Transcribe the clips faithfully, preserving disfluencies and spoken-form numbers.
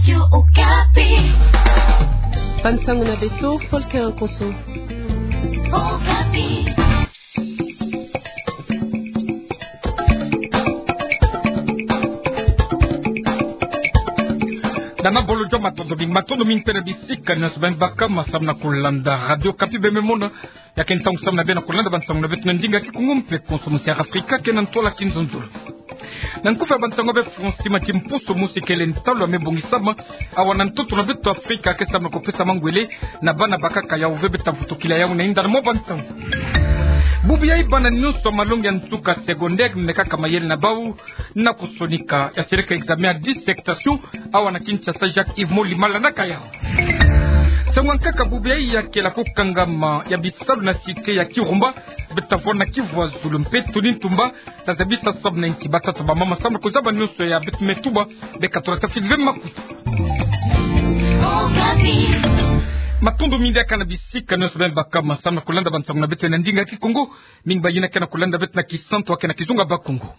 Radio Okapi. Bansango na beto, Volker Nkoso. Okapi. Dana bolo jo matondo mingi, matondo mingi mpe na bisika nyonso beno baka masamu na kulanda Radio Okapi, beno me mona ya ke ntangu samu na beno na kulanda bansango na beto na ndinga ya Kikongo mpe konso musi ya Afrika ke na ntwala kinzonzolo. Na nkufi ya bansango ya be Francis Mati, mposo mosi kele ntalu ya me bongisama awa na ntoto na beto Afrika ke samu na kupesa mangwele na bana bakaka yawu ve beta vutukila yawu na inda na mwa bantangu. Bubu yayi bana nyonso ya malongi ya nsuka secondaire me kaka mayele na bawu na kusonika ya seleka examen ya dissertation awa na Kinshasa Jacques Yves Molima, landaka yawu. Nsangu ya nkaka bubu yayi ya kela kukangama ya bisalu na cité ya Kirumba, beta vwanda na Kivu ya Zulu mpe Tony Ntumba tazabisa samu na nki batata bamama samu na kuzaba nyonso ya beto me tuba, beka tula tafiti ve makutu. Matondo mingi diaka na bisika nyonso beno baka masamu na kulanda bansango na beto na ndinga ya Kikongo, mingi bayina ke na kulanda beto na Kisantu, wa ke na Kizunga Bakongo.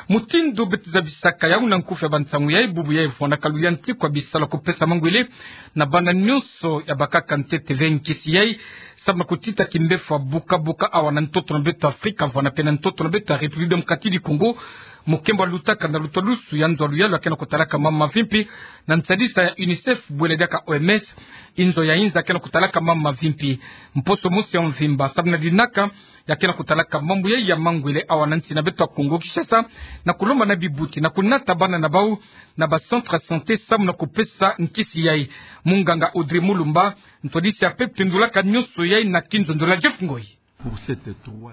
Mutindu beto zabisaka yawu na nkufi ya bansango yayi, bubu yayi vwandaka luyantiku ya bisalu ya kupesa mangwele na bana nyonso ya bakaka ntete ve nkisi yayi, samu na kutita kimbefo ya buka-buka awa na ntoto na beto Afrika, vwanda mpe na ntoto na beto ya République Démocratique du Congo. Mukembo alutaka na lutwadusu ya nzo ya luyalu ya ke na kutalaka mambu mavimpi na nsadisa ya UNICEF, bwela diaka O M S, inzo ya inza ya ke na kutalaka mambu mavimpi. Mposo mosi ya mvimba samu na dinaka ya ke na kutalaka mambu yayi ya mangwele awa na nsi na beto ya Kongo Kinshasa, na kulomba na bibuti na kunata bana na bawu na ba centre ya santé samu na kupesa nkisi yayi. Munganga Audrey Mulumba, ntwadisi ya pepte ndulaka nyonso yayi na kinzonzolo ya Jeff Ngoyi.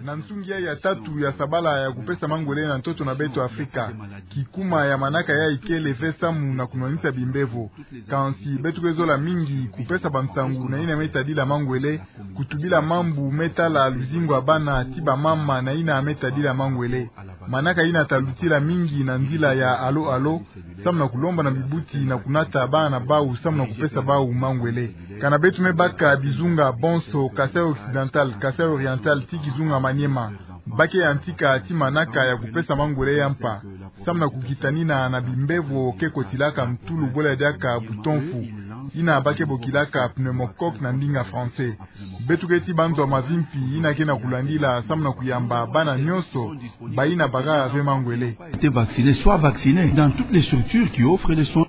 Na nsungi yayi ya tatu ya sabala ya kupesa mangwele na ntoto na beto Afrika, kikuma ya manaka yayi kele ve samu na kunwanisa bimbevo. Kansi beto ke zola mingi kupesa bansangu na yina me tadila mangwele, kutubila mambu me tala luzingu ya bana ti bamama na yina me tadila mangwele. Manaka yina talutila mingi na nzila ya Allo Allo, samu na kulomba na bibuti na kunata bana na bawu samu na kupesa bawu mangwele. Kana beto me baka bizunga bonso, Kasaï Occidental, Kasaï Oriental ti Kizunga Maniema, ba ke yantika ti manaka ya kupesa mangwele ya mpa, samu na kukitanina na bimbevo ke kotilaka ntulu, bwela diaka bouton-fou, yina ba ke bokilaka pneumocoque na ndinga français. Beto ke ti banzo ya mavimpi yina ke na kulandila samu na kuyamba bana nyonso bayina baka ve mangwele. Été vacciné, soit vacciné dans toutes les structures qui offrent des soins.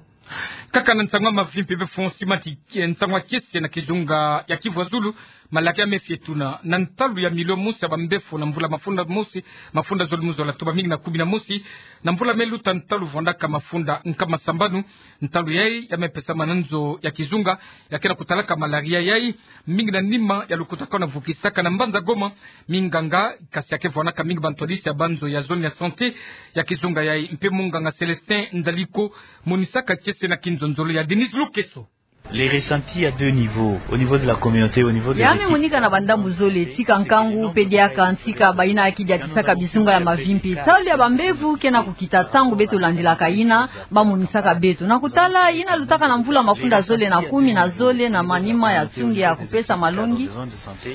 Kaka na nsangu ya mavimpi, be Francis Mati, eh, nsangu ya kiese na Kizunga ya Kivu ya Zulu, malaka ya me fie tuna na ntalu ya milio mosi ya bambefo na mvula mafunda mosi, mafunda zole mu zola, toma mingi na kumi na mosi. Na mvula me luta ntalu vwandaka mafunda nkama sambanu. Ntalu yayi ya me pesama na nzo ya kizunga ya ke na kutalaka malaria yayi, mingi na nima ya lukutakanu vukisaka na mbanza Goma. Minganga, kasi ya ke vwanaka mingi bantwadisi ya banzo ya zone ya santé ya kizunga yayi, mpe munganga Célestin Ndaliko, monisaka kiese na kinzonzolo ya Denise Lukeso. Les ressentis à deux niveaux, au niveau de la communauté, au niveau des équipes. Ya me monika na bandambu zole, tika nkangu, mpe diaka tika bayina ke diatisaka bizunga ya mavimpi. Ntalu ya bambevo ke na kukita ntangu beto landilaka yina ba monisaka beto. Na kutala yina lutaka na mvula mafunda zole na kumi na zole na manima ya nsungi ya kupesa malongi,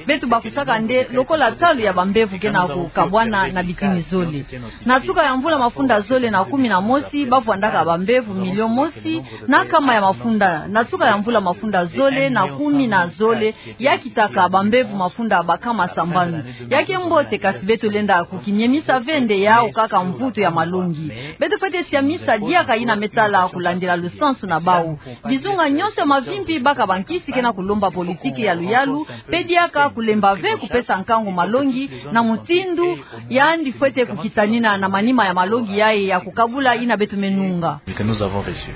beto bakusaka nde lokola ntalu ya bambevo ke na kukabwana na bitini zole. Na nsuka ya mvula mafunda zole na kumi na mosi, ba vwandaka bambevo milio mosi na nkama ya mafunda. Na nsuka ya mvula mafunda zole na kumi na zole, ya kitaka bambevo mafunda bankama sambanu. Ya ke mbote, kasi beto lenda kukimiemisa ve nde yawu kaka mvutu ya malongi. Beto fwete siamisa diaka yina me tala kulandila lusansu na bawu. Bizunga nyonso ya mavimpi baka bankisi ke na kulomba politiki ya luyalu, mpe diaka kulemba ve kupesa nkangu malongi na mutindu yandi fwete kukitanina na manima ya malongi yayi ya kukabula yina beto me nunga. Que nous avons reçu.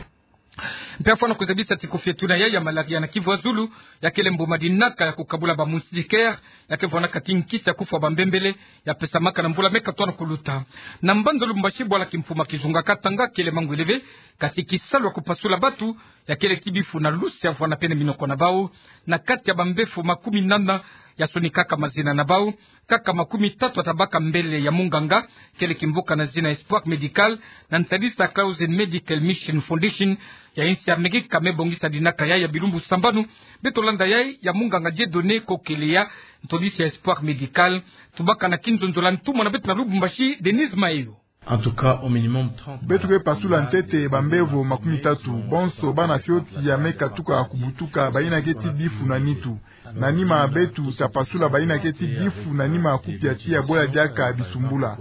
Mpe afwana kuzabisa ti kufie tuna yayi ya malaria na Kivu ya Zulu, ya kele mbuma dinaka ya kukabula ba moustiquaire, ya ke vwanaka ti nkisi ya kufwa bambembele, ya pesamaka na mvula me katwana kuluta. Na mbanza Lubumbashi, bwala kimfuma kizunga Katanga kele mangwele ve, kasi kisalu ya kupasula batu ya kele ti bifuna lusi ya vwana pene minoko na bawu. Na kati ya bambefo makumi nana ya sonikaka mazina na bawu, kaka makumi tatu ya tabaka mbele ya munganga, kele kimvuka na zina Espoir Medical, na ntadisa Clausen Medical Mission Foundation ya insi ya Amerika, me bongisa dinaka yayi ya bilumbu sambanu. Beto landa yayi ya munganga Dieudonné Kokeleya, ntwadisi ya Espoir Medical. Tubaka na kinzonzolo ya ntumwa na beto na Lubumbashi, Denise Mayo. En tout cas, au minimum trente. Beto ke pasula ntete bambevo makumi tatu, bonso bana fioti ya me katuka kubutuka, bayina ke ti bifu na nitu. Na nima beto ta pasula bayina ke ti bifu na nima kupia tiya bwe ya diaka bisumbula.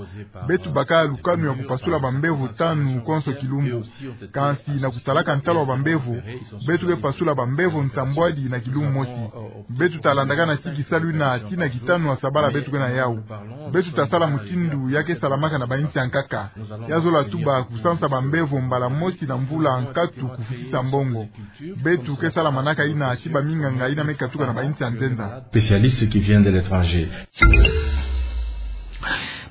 Beto baka lukanu ya kupasula bambevo tanu konso kilumbu. Kansi na kutalaka ntalu wa bambevo, beto ke pasula bambevo nsambwadi na kilumbu mosi. Beto ta landakana ti kisalu yina tii na kitanu ya sabala beto ke na yau. Beto ta sala mutindu ya ke salamaka na bayinsi ya nkaka. Ya zola tuba kusansa bambevo mbala mosi na mvula nkatu kufutisa mbongo. Beto ke sala manaka yina tii baminganga yina me katuka na bayinsi ya nzenza. Spécialistes qui viennent de l'étranger.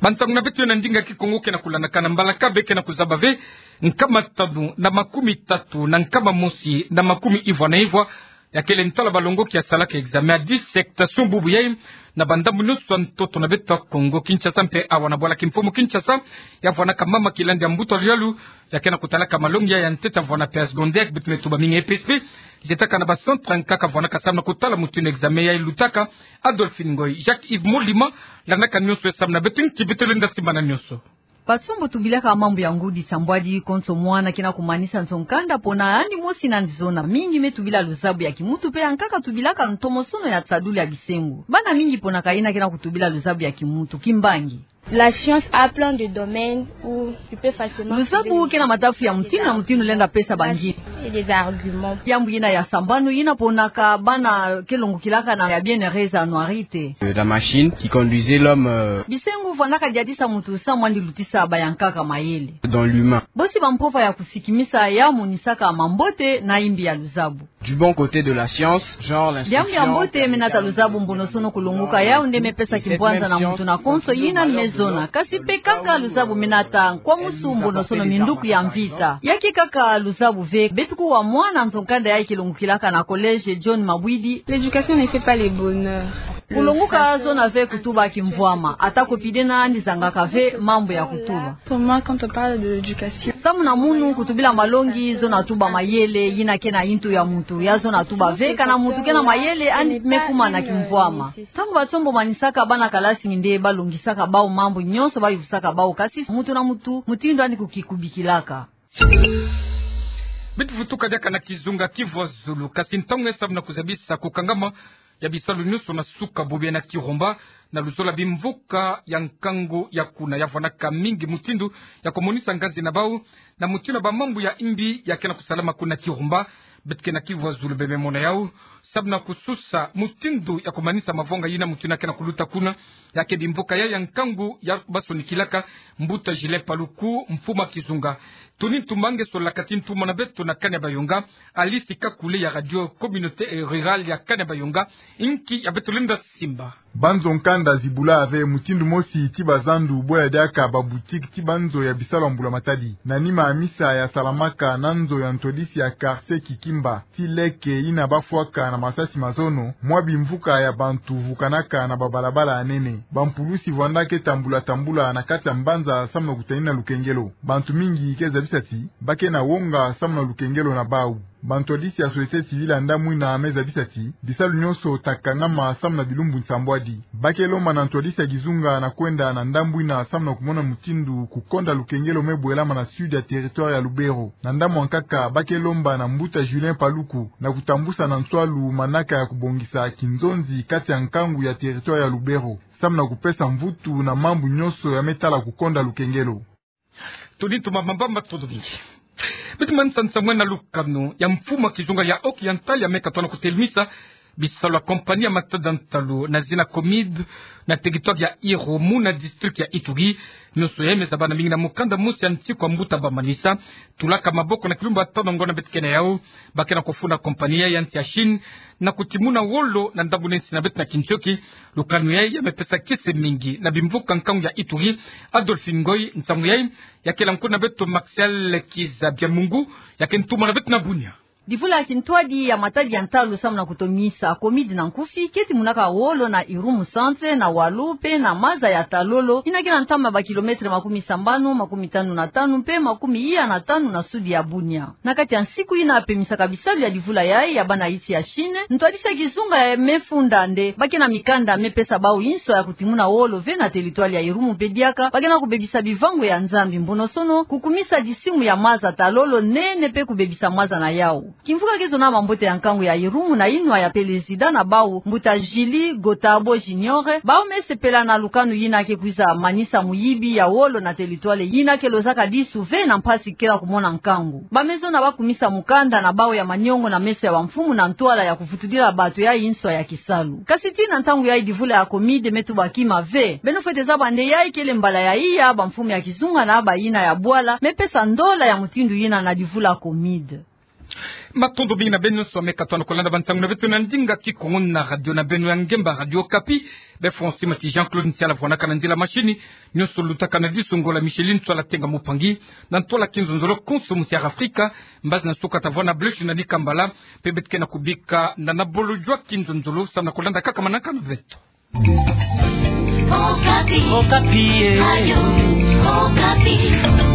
Bansangu na beto na ndinga Kikongo ke na kulandakana. Mbalakaka be ke na kuzaba ve nkama tanu na makumi tatu na nkama mosi na makumi ivwa na ivwa, ya kele ntala balongoki ya salaka examen ya dissertation bubu yai na bandambu nyonso ya ntoto na beto ya Kongo, Kinshasa mpe awa na bwala kimfumu Kinshasa. Ya vwanaka mama Kilandi ya mbuta luyalu, ya ke na kutalaka malongi ya ntete ya vwana pe ya secondaire, beto me tuba mingi E P S P, zietaka na ba centre ya nkaka vwanaka samu na kutala mutindu examen yai lutaka. Adolphine Ngoy, Jacques Yves Molima, landaka nyonso yai samu na beto, nki beto lenda simba na nyonso. Batsombo tubilaka mambu ya ngudi nsambwadi konso mwana ke na kumanisa nzo nkanda pona yandi mosi na nzizona. Mingi me tubila luzabu ya kimuntu mpe ya nkaka tubilaka ntomosono ya nsadulu ya bisengo. Bana mingi pona kayina ke na kutubila luzabu ya kimuntu. Kimbangi. La science a plein de domaines où tu peux facilement trouver des... Luzabu ke na madafu ya mutindu na mutindu lenda pesa bangini. Et des arguments. Yambu yina ya sambanu yina ponaka bana ke longokilaka na ya bien heureuse anuarite. Euh, la machine qui conduisait l'homme, euh, bisengo vwanaka diadisa muntu samu yandi lutisa bayankaka mayele. Dans l'humain. Bosi bampova ya kusikimisa ya monisaka mambote na imbi ya luzabu. Du bon côté de la science, genre l'instruction, diambu ya mbote me nata luzabu, mbonosono, kulongoka, yau nde me pesa kimpwanza na muntu na konso yina me zona. Kasi mpe kaka luzabu me nata nkwamusu, mbonosono, minduku ya mvita. Ya ke kaka luzabu ve. Beto kuwa mwana nzo nkanda yai ke longokilaka na collège John Mabwidi. L'éducation ne fait pas le bonheur. Kulongoka zona ve kutuba kimvwama. Ata ko pide na yandi zangaka ve mambu ya kutuba. Pour moi, quand on parle de l'éducation, samu na munu, kutubila malongi zona tuba mayele yina ke na yintu ya muntu. Ya zona tuba ve kana muntu ke na mayele, yandi me kuma na kimvwama. Ntangu batsombo manisaka bana kalasi, nde balongisaka bau mambu nyonso, bayuvisaka bau, kasi muntu na muntu mutindu yandi kukikubikilaka. Beto vutuka diaka na kizunga Kivu ya Zulu, kasi ntangu yai samu na kuzabisa kukangama ya bisalu nyonso na suka bubu yai na Kirumba, na luzolo ya bimvuka ya nkangu ya kuna, ya vwanaka mingi mutindu ya kumonisa nganzi na bau na mutindu ya bamambu ya imbi ya ke na kusalama kuna Kirumba. Beto ke na Kivu ya Zulu bie me mona yau samu na kususa mutindu ya kumanisa mavwanga yina mutindu ya ke na kuluta kuna. Ya ke bimvuka yai ya nkangu ya basonikilaka mbuta Julien Paluku, mfumu ya kizunga. Tony Ntumba nge solaka ti ntumwa na beto na Kane Bayonga, Alice Kakule ya Radio Communautaire Rurale ya Kane Bayonga. Inki ya beto lenda simba. Banzo nkanda zibula ve mutindu mosi ti bazandu, bwe ya diaka baboutique ti banzo ya bisalu ya mbula matadi. Na nima ya misa ya salamaka na nzo ya ntwadisi ya quartier Kikimba, ti leke yina bafwaka na masasi mazono, mwa bimvuka ya bantu vukanaka na babalabala ya nene. Bampulusi vwanda ke tambula tambula na kati ya mbanza samu na kutanina lukengelo. Bantu mingi ke zabisa ti ba ke na wonga samu na lukengelo na bau. Bantwadisi ya société civile ya ndambu yina me zabisa ti bisalu nyonso ta kangama samu na bilumbu nsambwadi. Ba ke lomba na ntwadisi ya kizunga na kwenda na ndambu yina samu na kumona mutindu kukonda lukengelo me bwelama na sud ya territoire ya Lubero. Na ndambu ya nkaka, ba ke lomba na mbuta Julien Paluku na kutambusa na nswalu manaka ya kubongisa kinzonzi kati ya nkangu ya territoire ya Lubero samu na kupesa mvutu na mambu nyonso ya me tala kukonda lukengelo. Tony Ntumba, mamba matondo mingi. Beto manisa nsangu na lukanu ya mfumu ya kizunga ya Haut-Oriental ya me katuka na kutelemisa bisalu ya compagnie ya matadi ya ntalu na zina Comide na territoire ya Irumu na district ya Ituri. Nyonso yai me zabana mingi na mukanda mosi ya nsiku ya mbuta ba manisa, tulaka maboko na kilumbu ya tanu ngonda beto ke na yau. Ba ke na kufunda compagnie yai ya nsi ya Chine na kutimuna wolo na ndambu na nsi na beto na kintioki. Lukanu yai ya me pesa kiese mingi na bimvuka nkangu ya Ituri. Adolphine Ngoy, nsangu yai ya kela nkundu na beto Martial Kiza Biamungu, ya ke ntumwa na beto na Bunia. Divula ya kintwadi ya matadi ya ntalu samu na kutomisa, COMID na nkufi, keti munaka wolo na Irumu centre, na walu pe na maza ya Talolo, yina ke na ntama ba kilometre makumi sambanu, makumi tanu na tanu pe makumi iya na tanu na sudi ya Bunia. Na kati ya nsiku yina pemisaka bisalu ya divula yayi ya bana insi ya Chine, ntwadisi ya kizunga ya me funda nde ba ke na mikanda me pesa bau inso ya kutimuna wolo ve na teritware ya Irumu pe diaka ba ke na kubebisa bivango ya Nzambi, mbonosono kukumisa disimu ya maza Talolo nene pe kubebisa maza na yau. Kimvuka ke zona mambote ya nkangu ya Irumu na inwa ya pelezida na bau, mbuta Julie Gotabo Junior, bau me sepela na lukanu yina ke kwiza manisa muyibi ya wolo na teritware yina ke lozaka disu ve na mpasi kela kumona nkangu. Ba me zona ba kumisa mukanda na bau ya maniongo na meso ya bamfumu na ntwala ya kuvutudila bato ya inso ya kisalu. Kasi tii na ntangu yayi divula ya COMID me tuba kima ve. Beno fwete zaba nde yayi kele mbala ya iya bamfumu ya kizunga na bayina ya bwala me pesa ndola ya mutindu yina na divula COMID. Matondo mingi na beno nyonso me katoa na kolanda bantangu na beto na ndinga Kikongo na radio na beno ya ngemba Radio Okapi. Be François Mati, Jean-Claude Ntiala vwanaka na nzila machine. Nyonso lutaka na disu, ngola Micheline Ntiala Tenga Mupangi, na ntwala kinzonzolo Konso Musiara Afrika. Mbazi na suka tavwana Bleuch na Nikambala. Pe beto ke na kubika na na bolo jwa kinzonzolo samu na kolanda kaka manaka na beto. Okapi. Okapi, eh. Radio Okapi.